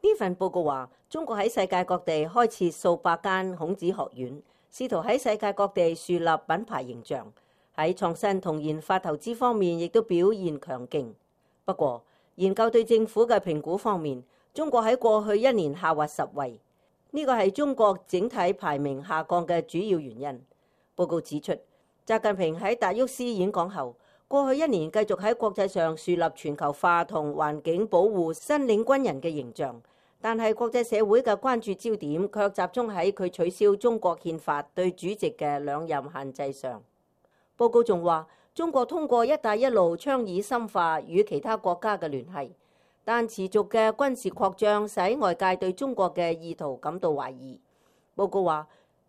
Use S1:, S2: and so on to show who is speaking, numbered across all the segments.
S1: 呢份報告話，中國喺世界各地開設數百間孔子學院，試圖喺世界各地樹立品牌形象。喺創新同研發投資方面，亦都表現強勁。不過，研究對政府嘅評估方面，中國喺過去1年下滑10位，呢個係中國整體排名下降嘅主要原因。報告指出，習近平喺達沃斯演講後，過去1年繼續喺國際上樹立全球化同環境保護新領軍人嘅形象，但係國際社會嘅關注焦點卻集中喺佢取消中國憲法對主席嘅2任限制上。報告仲話，中國通過一帶一路倡議深化與其他國家嘅聯繫，但持續嘅軍事擴張使外界對中國嘅意圖感到懷疑。報告話，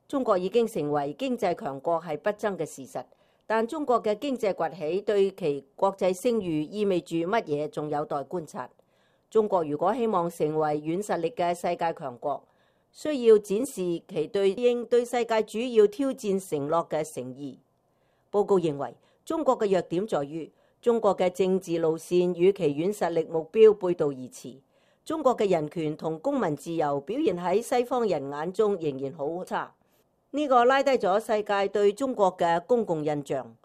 S1: 中國已經成為經濟強國係不爭嘅事實，但中國嘅經濟崛起對其國際聲譽意味住乜嘢，仲有待觀察。中國如果希望成為軟實力嘅世界強國，需要展示其對應對世界主要挑戰承諾嘅誠意。報告認為，中國嘅弱點在於中國嘅政治路線與其軟實力目標背道而馳。中國嘅人權同公民自由表現喺西方人眼中仍然好差，呢個拉低咗世界對中國嘅公共印象。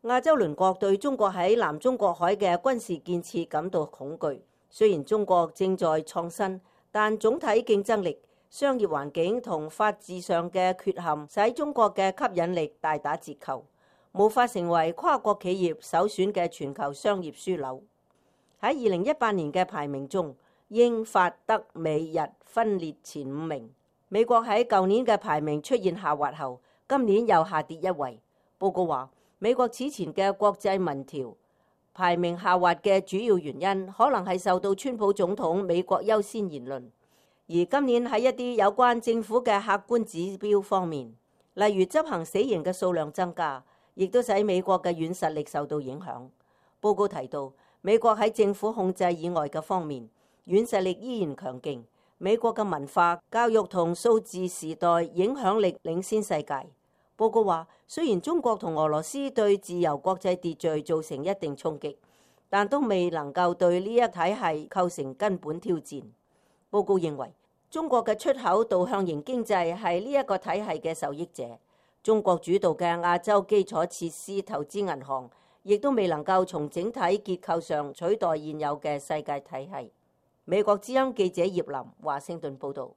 S1: 亞洲鄰國對中國喺南中國海嘅軍事建設感到恐懼。雖然中國正在創新，但總體競爭力、商業環境同法治上嘅缺陷使中國嘅吸引力大打折扣，無法成為跨國企業首選嘅全球商業樞紐。喺2018年嘅排名中，英法德美日分列前5名。美國喺舊年嘅排名出現下滑後，今年又下跌1位。報告話，美國此前嘅國際民調排名下滑嘅主要原因，可能係受到川普總統美國優先言論。而今年喺一啲有關政府嘅客觀指標方面，例如執行死刑嘅數量增加，亦都使美國嘅軟實力受到影響。報告提到，美國喺政府控制以外嘅方面，軟實力依然強勁。美國嘅文化、教育同數字時代影響力領先世界。報告話，雖然中國同俄羅斯對自由國際秩序造成一定衝擊，但都未能夠對呢一體系構成根本挑戰。報告認為，中國嘅出口導向型經濟係呢一個體系嘅受益者。中國主導嘅亞洲基礎設施投資銀行亦都未能夠從整體結構上取代現有嘅世界體系。美國之音記者葉林華盛頓報導。